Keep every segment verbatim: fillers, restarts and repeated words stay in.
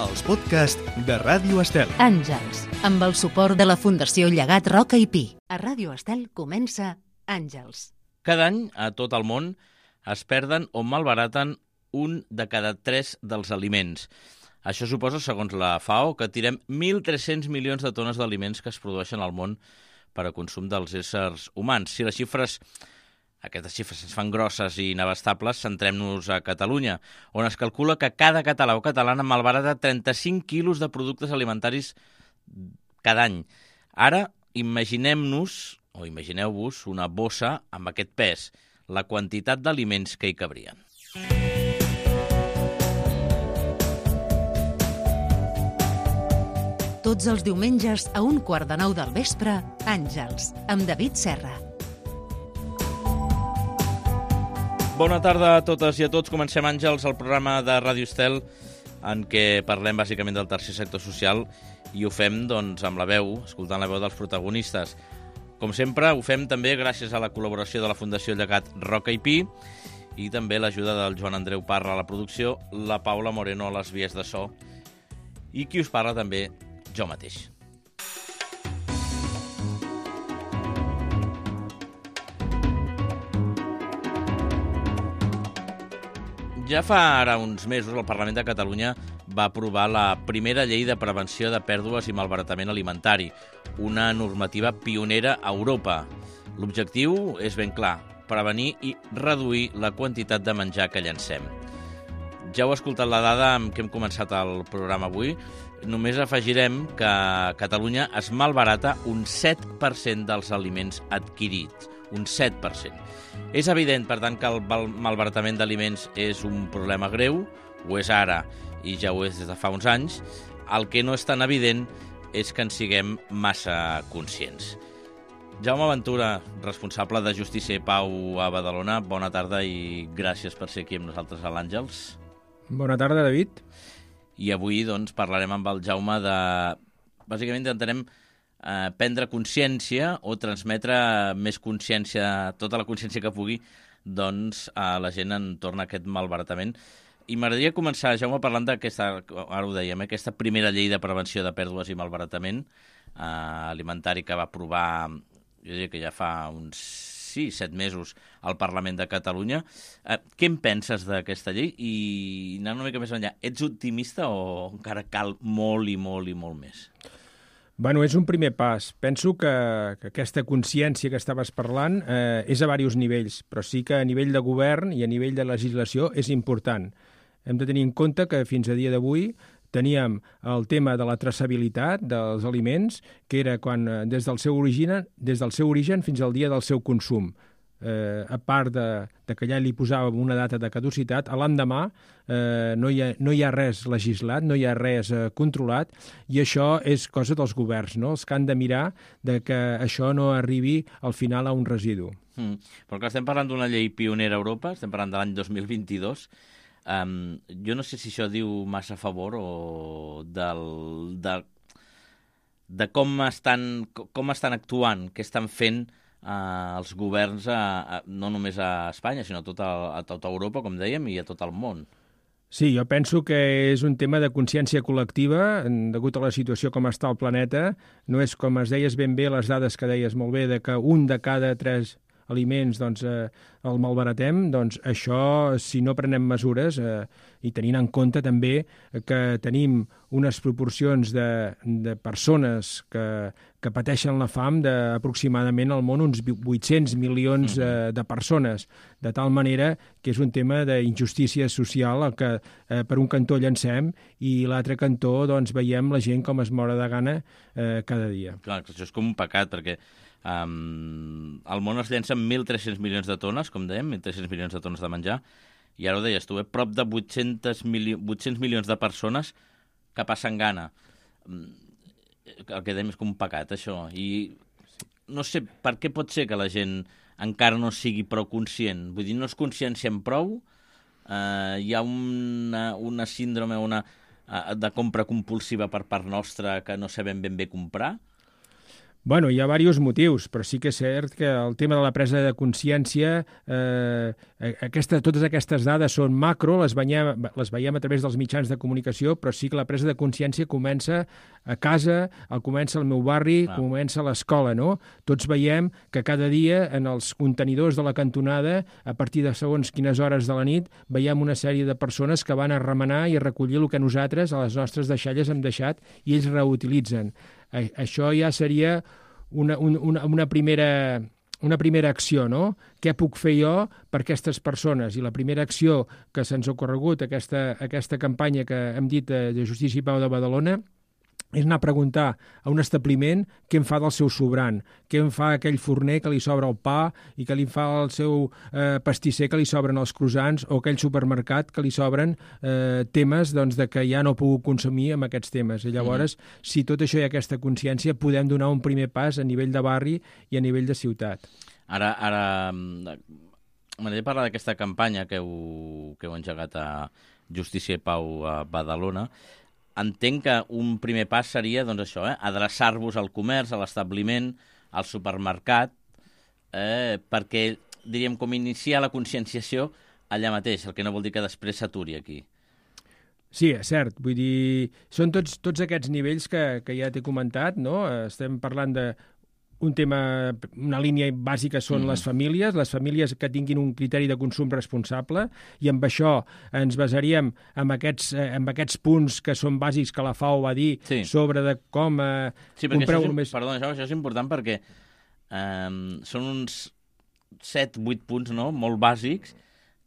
els podcasts de Ràdio Estel. Àngels, amb el suport de la Fundació Llegat Roca i Pi. A Ràdio Estel comença Àngels. Cada any, a tot el món, es perden o malbaraten un de cada tres dels aliments. Això suposa, segons la FAO, que tirem mil tres-cents milions de tones d'aliments que es produeixen al món per a consum dels éssers humans. Si les xifres, aquestes xifres ens fan grosses i inabastables, centrem-nos a Catalunya, on es calcula que cada català o catalana malbarata trenta-cinc quilos de productes alimentaris cada any. Ara, imaginem-nos, o imagineu-vos, una bossa amb aquest pes, la quantitat d'aliments que hi cabrien. Tots els diumenges a un quart de nou del vespre, Àngels, amb David Serra. Bona tarda a totes i a tots. Comencem, Àngels, el programa de Ràdio Estel, en què parlem bàsicament del tercer sector social i ho fem doncs, amb la veu, escoltant la veu dels protagonistes. Com sempre, ho fem també gràcies a la col·laboració de la Fundació Llegat Roca i Pi i també l'ajuda del Joan Andreu Parra a la producció, la Paula Moreno a les vies de so i qui us parla també, jo mateix. Ja fa ara uns mesos el Parlament de Catalunya va aprovar la primera llei de prevenció de pèrdues i malbaratament alimentari, una normativa pionera a Europa. L'objectiu és ben clar, prevenir i reduir la quantitat de menjar que llancem. Ja heu escoltat la dada amb què hem començat el programa avui. Només afegirem que a Catalunya es malbarata un set per cent dels aliments adquirits. Un set per cent. És evident, per tant, que el malbaratament d'aliments és un problema greu, ho és ara i ja ho és des de fa uns anys. El que no és tan evident és que en siguem massa conscients. Jaume Ventura, responsable de Justícia i Pau a Badalona, bona tarda i gràcies per ser aquí amb nosaltres a l'Àngels. Bona tarda, David. I avui doncs, parlarem amb el Jaume de... Bàsicament intentarem eh, prendre consciència o transmetre més consciència, tota la consciència que pugui, doncs, a la gent entorn a aquest malbaratament. I m'agradaria començar, Jaume, parlant d'aquesta, ara ho dèiem, eh, aquesta primera llei de prevenció de pèrdues i malbaratament eh, alimentari que va aprovar, jo diria que ja fa uns sí, set mesos al Parlament de Catalunya. Eh, què en penses d'aquesta llei? I anant una mica més enllà, ets optimista o encara cal molt i molt i molt més? Bueno, és un primer pas. Penso que, que aquesta consciència que estaves parlant eh, és a diversos nivells, però sí que a nivell de govern i a nivell de legislació és important. Hem de tenir en compte que fins a dia d'avui teníem el tema de la traçabilitat dels aliments, que era quan des del seu origen, des del seu origen fins al dia del seu consum. Eh, a part de, de que ja li posàvem una data de caducitat, a l'endemà eh, no, hi ha, no hi ha res legislat, no hi ha res eh, controlat, i això és cosa dels governs, no? Els que han de mirar de que això no arribi al final a un residu. Mm. Però que estem parlant d'una llei pionera a Europa, estem parlant de l'any dos mil vint-i-dos, Um, jo no sé si això diu massa a favor o del, de, de com, estan, com estan actuant, què estan fent uh, els governs, a, a, no només a Espanya, sinó a tota, a tota Europa, com dèiem, i a tot el món. Sí, jo penso que és un tema de consciència col·lectiva, degut a la situació com està el planeta. No és, com es deies ben bé, les dades que deies molt bé, de que un de cada tres aliments doncs, eh, el malbaratem, doncs això, si no prenem mesures, eh, i tenint en compte també que tenim unes proporcions de, de persones que, que pateixen la fam d'aproximadament al món uns vuit-cents milions eh, de persones, de tal manera que és un tema d'injustícia social el que eh, per un cantó llancem i l'altre cantó doncs, veiem la gent com es mora de gana eh, cada dia. Clar, això és com un pecat, perquè Um, al món es llencen mil tres-cents milions de tones, com dèiem, mil tres-cents milions de tones de menjar, i ara ho deies tu, eh? Prop de vuit-cents milions de persones que passen gana. El que dèiem és com un pecat, això. I no sé per què pot ser que la gent encara no sigui prou conscient. Vull dir, no es consciencien prou, uh, hi ha una, una síndrome una, uh, de compra compulsiva per part nostra que no sabem ben bé comprar. Bueno, hi ha diversos motius, però sí que és cert que el tema de la presa de consciència, eh, aquesta, totes aquestes dades són macro, les veiem, les veiem a través dels mitjans de comunicació, però sí que la presa de consciència comença a casa, el comença al meu barri, ah. comença a l'escola, no? Tots veiem que cada dia en els contenidors de la cantonada, a partir de segons quines hores de la nit, veiem una sèrie de persones que van a remenar i a recollir el que nosaltres, a les nostres deixalles, hem deixat i ells reutilitzen. Això ja seria una, una, una, primera, una primera acció, no? Què puc fer jo per aquestes persones? I la primera acció que se'ns ha ocorregut, aquesta, aquesta campanya que hem dit de Justícia i Pau de Badalona, és anar a preguntar a un establiment què en fa del seu sobrant, què en fa aquell forner que li sobra el pa i que li fa el seu eh, pastisser que li sobren els croissants o aquell supermercat que li sobren eh, temes doncs, de que ja no puc consumir amb aquests temes. I llavors, mm. si tot això hi ha aquesta consciència, podem donar un primer pas a nivell de barri i a nivell de ciutat. Ara, ara m'agradaria parlar d'aquesta campanya que heu, que heu engegat a Justícia i Pau a Badalona. Entenc que un primer pas seria doncs això, eh? adreçar-vos al comerç, a l'establiment, al supermercat, eh? perquè, diríem, com iniciar la conscienciació allà mateix, el que no vol dir que després s'aturi aquí. Sí, és cert. Vull dir, són tots, tots aquests nivells que, que ja t'he comentat, no? Estem parlant de un tema, una línia bàsica són mm. les famílies, les famílies que tinguin un criteri de consum responsable, i amb això ens basaríem en aquests, en aquests punts que són bàsics que la F A O va dir sí. sobre de com eh, sí, compreu... Això és, perdó, això, això és important perquè eh, són uns set vuit punts no? molt bàsics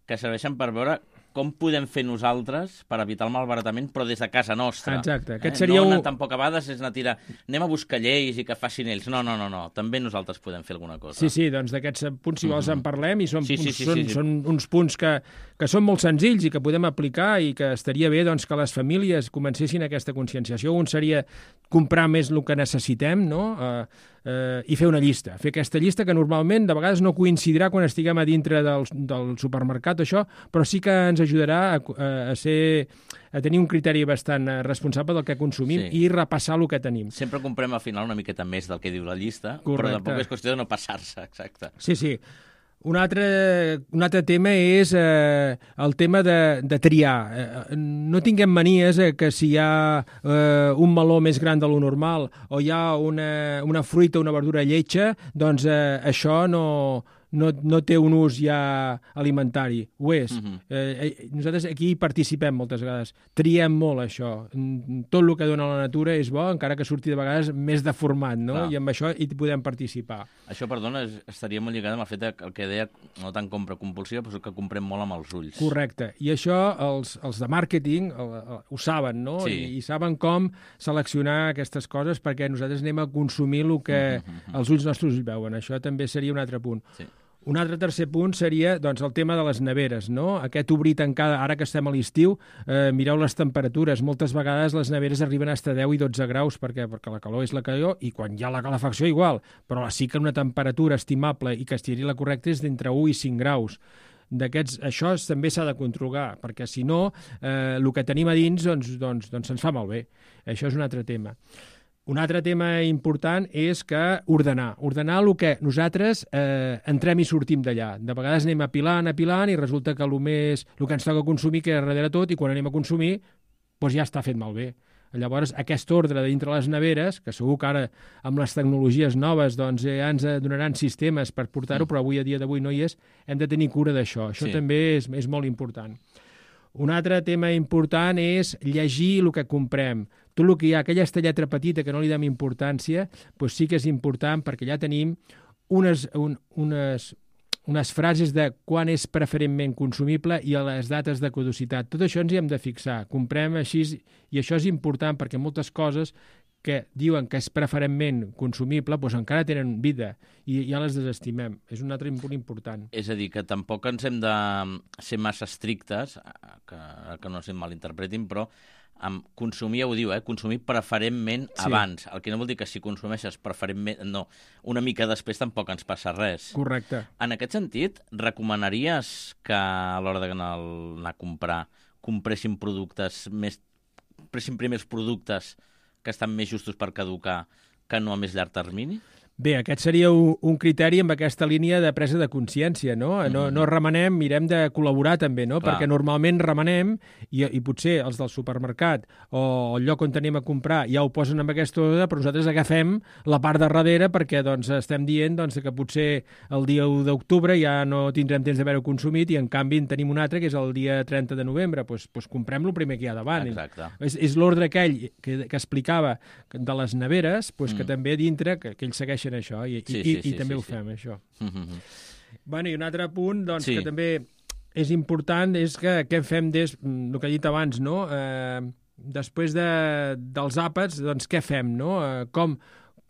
que serveixen per veure com podem fer nosaltres per evitar el malbaratament, però des de casa nostra. Exacte. Aquest eh? seria no un... anar tampoc a vegades és anar a tirar, anem a buscar lleis i que facin ells. No, no, no, no. També nosaltres podem fer alguna cosa. Sí, sí, doncs d'aquests punts, si vols, mm-hmm. en parlem, i són, sí, punts, sí, sí, són, sí, sí. són uns punts que, que són molt senzills i que podem aplicar i que estaria bé doncs, que les famílies comencessin aquesta conscienciació. Un seria comprar més el que necessitem, no?, eh, eh, i fer una llista. Fer aquesta llista que normalment de vegades no coincidirà quan estiguem a dintre del, del supermercat, això, però sí que ens ajudarà a, a, a ser a tenir un criteri bastant responsable del que consumim sí. i repassar el que tenim. Sempre comprem al final una miqueta més del que diu la llista, correcte. Però tampoc és qüestió de no passar-se, exacte. Sí, sí. Un altre, un altre tema és eh, el tema de, de triar. Eh, no tinguem manies eh, que si hi ha eh, un meló més gran de lo normal o hi ha una, una fruita o una verdura lletja, doncs eh, això no... No, no té un ús ja alimentari. Ho és. Uh-huh. eh, nosaltres aquí hi participem moltes vegades. Triem molt això. Tot el que dona la natura és bo, encara que surti de vegades més deformat, no? Clar. I amb això hi podem participar. Això, perdona, estaria molt lligat amb el fet que el que deia, no tant compra compulsiva, però que comprem molt amb els ulls. Correcte. I això els, els de màrqueting el, el, ho saben, no? Sí. I, I saben com seleccionar aquestes coses perquè nosaltres anem a consumir el que uh-huh. els ulls nostres veuen. Això també seria un altre punt. Sí. Un altre tercer punt seria doncs, el tema de les neveres, no? Aquest obrir tancada, ara que estem a l'estiu, eh, mireu les temperatures. Moltes vegades les neveres arriben a estar deu i dotze graus, perquè perquè la calor és la calor, i quan hi ha la calefacció igual, però sí que una temperatura estimable i que estigui la correcta és d'entre u i cinc graus. D'aquests, això també s'ha de controlar, perquè si no, eh, el que tenim a dins doncs, doncs, doncs se'ns fa malbé. Això és un altre tema. Un altre tema important és que ordenar. Ordenar el que nosaltres eh, entrem i sortim d'allà. De vegades anem apilant, apilant, i resulta que el, més, el que ens toca consumir queda darrere tot, i quan anem a consumir doncs ja està fet malbé. Llavors, aquest ordre dintre les neveres, que segur que ara amb les tecnologies noves doncs, ja ens donaran sistemes per portar-ho, però avui a dia d'avui no hi és, hem de tenir cura d'això. Això sí. també és, és molt important. Un altre tema important és llegir el que comprem. Tot el que hi ha, aquella lletra petita que no li dem importància, doncs sí que és important perquè ja tenim unes, un, unes, unes frases de quan és preferentment consumible i a les dates de caducitat. Tot això ens hi hem de fixar. Comprem així, i això és important perquè moltes coses que diuen que és preferentment consumible, doncs encara tenen vida i ja les desestimem. És un altre punt important. És a dir, que tampoc ens hem de ser massa estrictes, que, que no es malinterpretin, però amb consumir, ja ho diu, eh? consumir preferentment sí. abans. El que no vol dir que si consumeixes preferentment... No, una mica després tampoc ens passa res. Correcte. En aquest sentit, recomanaries que a l'hora d'anar a comprar compressin productes més... compressin primers productes que estan més justos per caducar que no a més llarg termini? Bé, aquest seria un, un criteri amb aquesta línia de presa de consciència, no? No, mm-hmm. no remenem, mirem de col·laborar també, no? Clar. Perquè normalment remenem i, i potser els del supermercat o el lloc on tenim a comprar ja ho posen amb aquesta ordre, però nosaltres agafem la part de darrere perquè doncs, estem dient doncs, que potser el dia u d'octubre ja no tindrem temps d'haver-ho consumit i en canvi en tenim un altre que és el dia trenta de novembre. Doncs, doncs comprem el primer que hi ha davant. Exacte. És, és l'ordre aquell que, que explicava de les neveres, doncs, mm. que també dintre, que, que ells segueixen això, i, sí, i, sí, i, sí, i també sí, ho sí. fem, això. Mm-hmm. Bueno, i un altre punt, doncs, sí. que també és important, és que què fem des, el que he dit abans, no? Eh, després de, dels àpats, doncs què fem, no? Eh, com,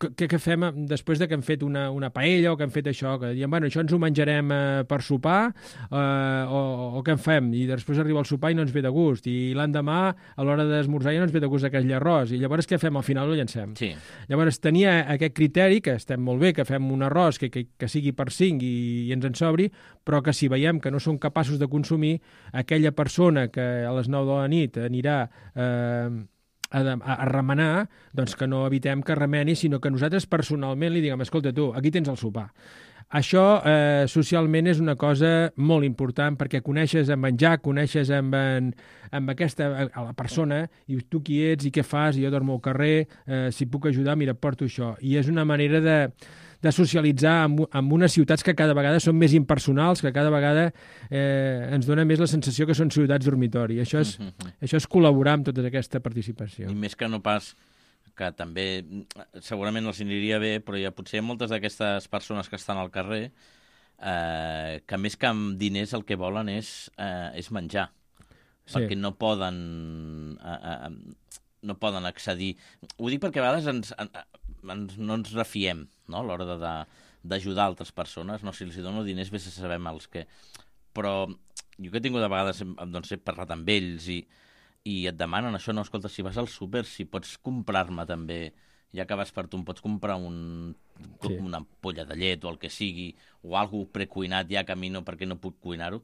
què, què fem després de que hem fet una, una paella o que hem fet això, que diem, bueno, això ens ho menjarem eh, per sopar, eh, o, o què en fem? I després arriba el sopar i no ens ve de gust, i l'endemà, a l'hora d'esmorzar, ja no ens ve de gust aquell arròs, i llavors què fem? Al final ho llancem. Sí. Llavors tenia aquest criteri, que estem molt bé, que fem un arròs que, que, que sigui per cinc i, i ens en sobri, però que si veiem que no som capaços de consumir, aquella persona que a les nou de la nit anirà eh, A, a, a remenar, doncs que no evitem que remeni, sinó que nosaltres personalment li diguem, escolta tu, aquí tens el sopar. Això eh, socialment és una cosa molt important perquè coneixes en menjar, coneixes amb, en, amb aquesta, a la persona, i tu qui ets i què fas, i jo dormo al carrer, eh, si puc ajudar, mira, porto això. I és una manera de, de socialitzar amb, amb unes ciutats que cada vegada són més impersonals, que cada vegada eh, ens dona més la sensació que són ciutats dormitori. Això és, mm-hmm. això és col·laborar amb tota aquesta participació. I més que no pas que també segurament els aniria bé, però hi ha potser moltes d'aquestes persones que estan al carrer eh, que més que amb diners el que volen és, eh, és menjar, sí. perquè no poden eh, eh, no poden accedir. Ho dic perquè a vegades ens, ens, no ens refiem, no?, a l'hora d'ajudar altres persones. No, si els dono diners, bé se sabem els que... Però jo que he tingut a vegades, doncs he parlat amb ells i i et demanen això, no, escolta, si vas al súper, si pots comprar-me també, ja que vas per tu, em pots comprar un, sí. una ampolla de llet o el que sigui, o alguna cosa precuinat ja que a mi no, perquè no puc cuinar-ho.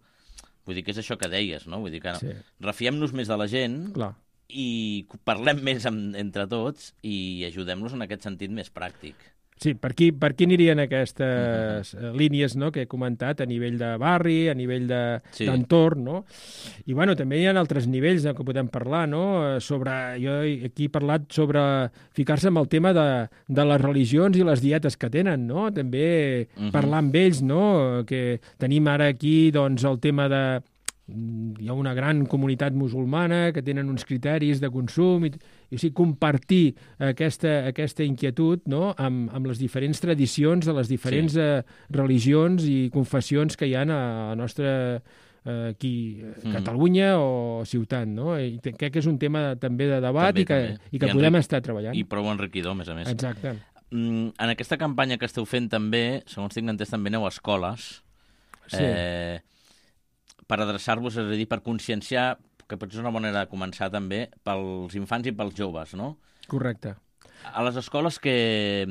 Vull dir que és això que deies, no? Vull dir que no. Sí. Refiem-nos més de la gent. Clar. I parlem més amb, entre tots i ajudem-los en aquest sentit més pràctic. Sí, per aquí, per aquí anirien aquestes uh-huh. línies, no?, que he comentat, a nivell de barri, a nivell d'entorn, de, sí. no? I, bueno, també hi ha altres nivells que podem parlar, no?, sobre... Jo aquí he parlat sobre ficar-se en el tema de, de les religions i les dietes que tenen, no? També uh-huh. parlar amb ells, no?, que tenim ara aquí, doncs, el tema de... Hi ha una gran comunitat musulmana que tenen uns criteris de consum i, i o sigui, compartir aquesta, aquesta inquietud, no?, amb, amb les diferents tradicions de les diferents sí. eh, religions i confessions que hi ha a la nostra eh, aquí, mm. Catalunya o ciutat, no? I crec que és un tema també de debat també, i que, també. i que I podem enric... estar treballant. I prou enriquidor, a més a més. Exacte. Mm, en aquesta campanya que esteu fent també, segons tinc entès, també aneu a escoles. Sí. Eh, per adreçar-vos, és a dir, per conscienciar, que potser és una manera de començar també, pels infants i pels joves, no? Correcte. A les escoles, que,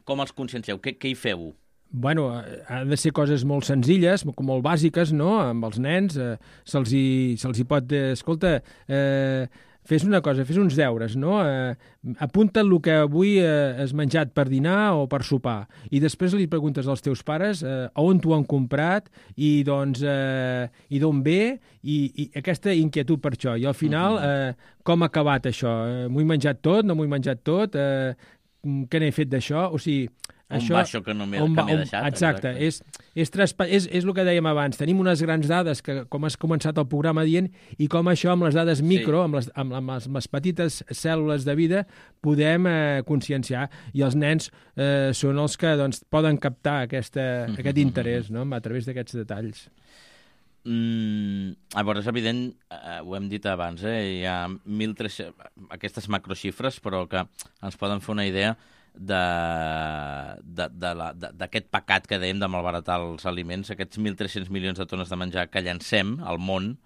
com els consciencieu? Què, què hi feu? Bueno, han de ser coses molt senzilles, molt bàsiques, no?, amb els nens. Eh, se'ls hi, se'ls hi pot dir, escolta, eh, fes una cosa, fes uns deures, no? Eh, apunta el que avui eh, has menjat per dinar o per sopar, i després li preguntes als teus pares eh, on t'ho han comprat i doncs eh, i d'on ve, i, i aquesta inquietud per això. I al final, eh, com ha acabat això? Eh, m'ho he menjat tot, no m'ho he menjat tot? Eh, què n'he fet d'això? O sigui, on això, va això que no m'he deixat? Exacte, exacte. És, és, transpa- és, és el que dèiem abans. Tenim unes grans dades, que com has començat el programa dient, i com això amb les dades micro, sí. amb, les, amb, amb, les, amb les petites cèl·lules de vida, podem eh, conscienciar. I els nens eh, són els que doncs, poden captar aquesta, mm-hmm. aquest interès, no?, a través d'aquests detalls. Mm, llavors, és evident, eh, ho hem dit abans, eh, hi ha mil tres-cents, aquestes macroxifres, però que ens poden fer una idea d'aquest pecat que dèiem de malbaratar els aliments, aquests mil tres-cents milions de tones de menjar que llancem al món,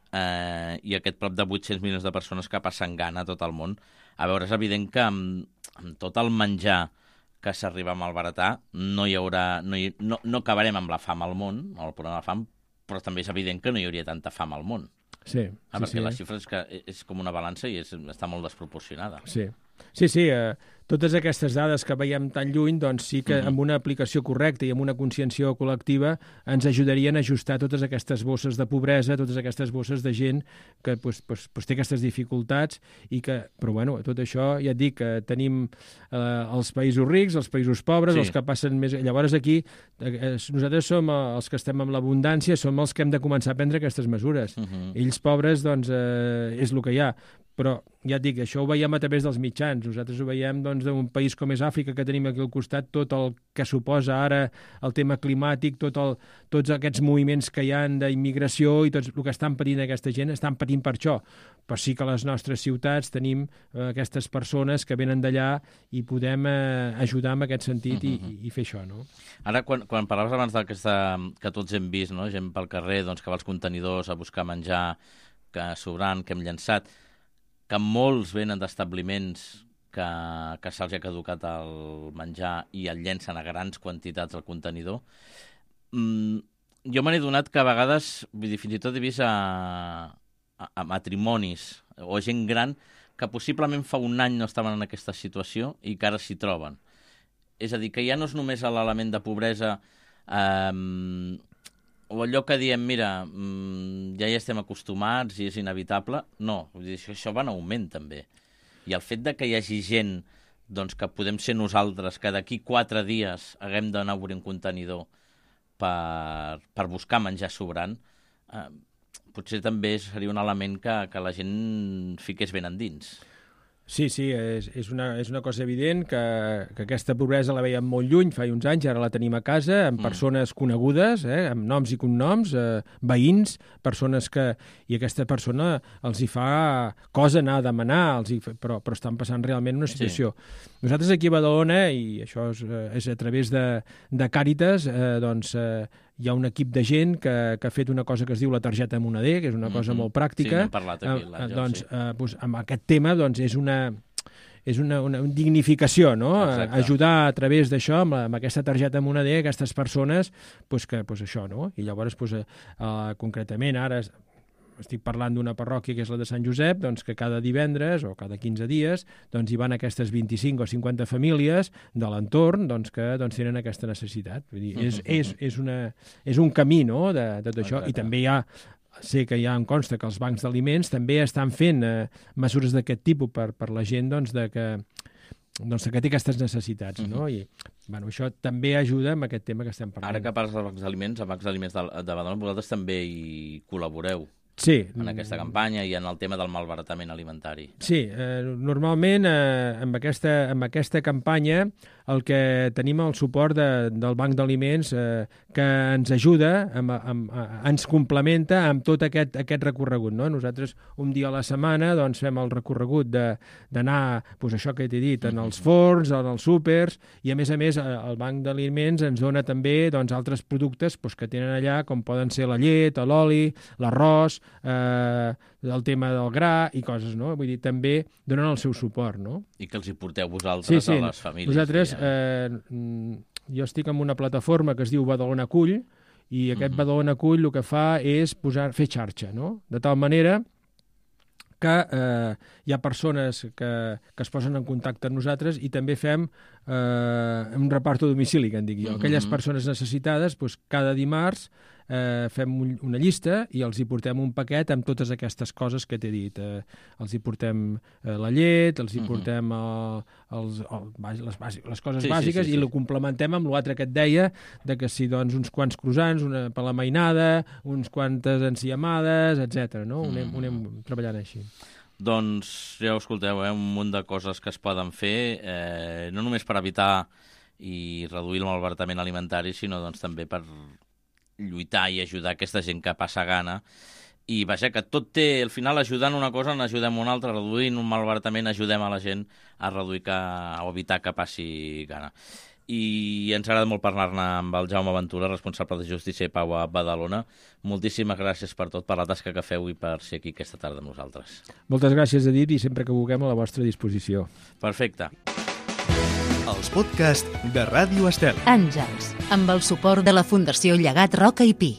eh, i aquest prop de vuit-cents milions de persones que passen gana a tot el món. A veure, és evident que amb, amb tot el menjar que s'arriba a malbaratar no hi haurà, no, hi, no, no acabarem amb la fam al món, amb el problema de la fam, però també és evident que no hi hauria tanta fam al món. Sí, ah, sí, perquè sí. la xifra és, que és com una balança i és, està molt desproporcionada. Sí. Sí, sí, eh, totes aquestes dades que veiem tan lluny, doncs sí que amb una aplicació correcta i amb una consciència col·lectiva ens ajudarien a ajustar totes aquestes bosses de pobresa, totes aquestes bosses de gent que pues, pues, pues té aquestes dificultats i que, però bueno, tot això ja et dic que tenim eh, els països rics, els països pobres, sí. els que passen més... Llavors aquí eh, nosaltres som els que estem amb l'abundància, som els que hem de començar a prendre aquestes mesures. Uh -huh. Ells pobres, doncs, eh, és el que hi ha. Però ja et dic, això ho veiem a través dels mitjans. Nosaltres ho veiem doncs, d'un país com és Àfrica, que tenim aquí al costat, tot el que suposa ara el tema climàtic, tot el, tots aquests moviments que hi ha d'immigració i tot el que estan patint aquesta gent, estan patint per això. Però sí que a les nostres ciutats tenim eh, aquestes persones que venen d'allà i podem eh, ajudar en aquest sentit uh -huh. i, i fer això, no? Ara, quan, quan parlaves abans d'aquesta que tots hem vist, no? Gent pel carrer doncs, que va als contenidors a buscar menjar que sobrant, que hem llançat, que molts venen d'establiments que, que se'ls ha caducat el menjar i el llencen a grans quantitats al contenidor. Mm, jo me n'he donat que a vegades, vull dir, fins i tot he vist a, a, a matrimonis o gent gran que possiblement fa un any no estaven en aquesta situació i que ara s'hi troben. És a dir, que ja no és només l'element de pobresa eh, o allò que diem, mira, ja hi estem acostumats i és inevitable. No, vull dir, això, això va en augment també. I el fet de que hi hagi gent doncs, que podem ser nosaltres, que d'aquí quatre dies haguem d'anar a obrir un contenidor per, per buscar menjar sobrant, eh, potser també seria un element que, que la gent fiqués ben endins. Sí, sí, és, és, una, és una cosa evident que, que aquesta pobresa la veiem molt lluny, fa uns anys, ara la tenim a casa, amb mm. persones conegudes, eh, amb noms i cognoms, eh, veïns, persones que... I aquesta persona els hi fa cosa anar a demanar, els hi fa, però, però estan passant realment una situació. Sí. Nosaltres aquí a Badalona, i això és, és a través de, de Càritas, eh, doncs... Eh, hi ha un equip de gent que, que ha fet una cosa que es diu la targeta moneder, que és una cosa mm-hmm. molt pràctica. Sí, n'hem parlat aquí. Eh, la, doncs, sí. eh, doncs, amb aquest tema doncs, és una... és una, una dignificació, no? Exacte. Ajudar a través d'això, amb, amb aquesta targeta moneder, aquestes persones, pues que, pues això, no? I llavors, pues, eh, uh, concretament, ara estic parlant d'una parròquia que és la de Sant Josep, doncs que cada divendres o cada quinze dies doncs hi van aquestes vint-i-cinc o cinquanta famílies de l'entorn doncs, que doncs, tenen aquesta necessitat. Vull dir, és, és, és, una, és un camí, no?, de, de tot això. I també hi ha sé que ja em consta que els bancs d'aliments també estan fent eh, mesures d'aquest tipus per, per la gent doncs, de que, doncs, que té aquestes necessitats, uh-huh. no? I bueno, això també ajuda amb aquest tema que estem parlant. Ara que parles dels bancs d'aliments, els bancs d'aliments de, de Badalona, vosaltres també hi col·laboreu. Sí. En aquesta campanya i en el tema del malbaratament alimentari. Sí, eh, normalment eh, amb, aquesta, amb aquesta campanya el que tenim el suport de, del Banc d'Aliments eh, que ens ajuda, amb, amb, ens complementa amb tot aquest, aquest recorregut. No? Nosaltres un dia a la setmana doncs, fem el recorregut d'anar, doncs, això que t'he dit, en els forns, en els súpers, i a més a més el Banc d'Aliments ens dona també doncs, altres productes doncs, que tenen allà, com poden ser la llet, l'oli, l'arròs, Eh, el tema del gra i coses, no? Vull dir, també donen el seu suport, no? I que els hi porteu vosaltres sí, sí. a les famílies. Nosaltres, eh, jo estic en una plataforma que es diu Badalona Acull i aquest uh-huh. Badalona Acull el que fa és posar, fer xarxa, no? De tal manera que eh, hi ha persones que, que es posen en contacte amb nosaltres i també fem eh, un repart a domicili, que en dic jo. Uh-huh. Aquelles persones necessitades, doncs, cada dimarts eh, fem un, una llista i els hi portem un paquet amb totes aquestes coses que t'he dit. Eh, els hi portem eh, la llet, els hi portem eh, els, el, les, bàsic, les coses sí, bàsiques sí, sí, sí. i ho complementem amb l'altre que et deia, de que si doncs uns quants croissants, una per la mainada, uns quantes enciamades, etcètera. No? Ho anem, ho anem treballant així. Doncs ja ho escolteu, eh? Un munt de coses que es poden fer, eh, no només per evitar i reduir el malbaratament alimentari, sinó doncs, també per lluitar i ajudar aquesta gent que passa gana. I vaja, que tot té, al final, ajudant una cosa, n'ajudem una altra, reduint un malbaratament, ajudem a la gent a reduir que, a evitar que passi gana. I ens agrada molt parlar-ne amb el Jaume Ventura, responsable de Justícia i Pau a Badalona. Moltíssimes gràcies per tot, per la tasca que feu i per ser aquí aquesta tarda amb nosaltres. Moltes gràcies, Edith, i sempre que vulguem a la vostra disposició. Perfecte. Els podcasts de Ràdio Estel. Àngels, amb el suport de la Fundació Llegat Roca i Pi.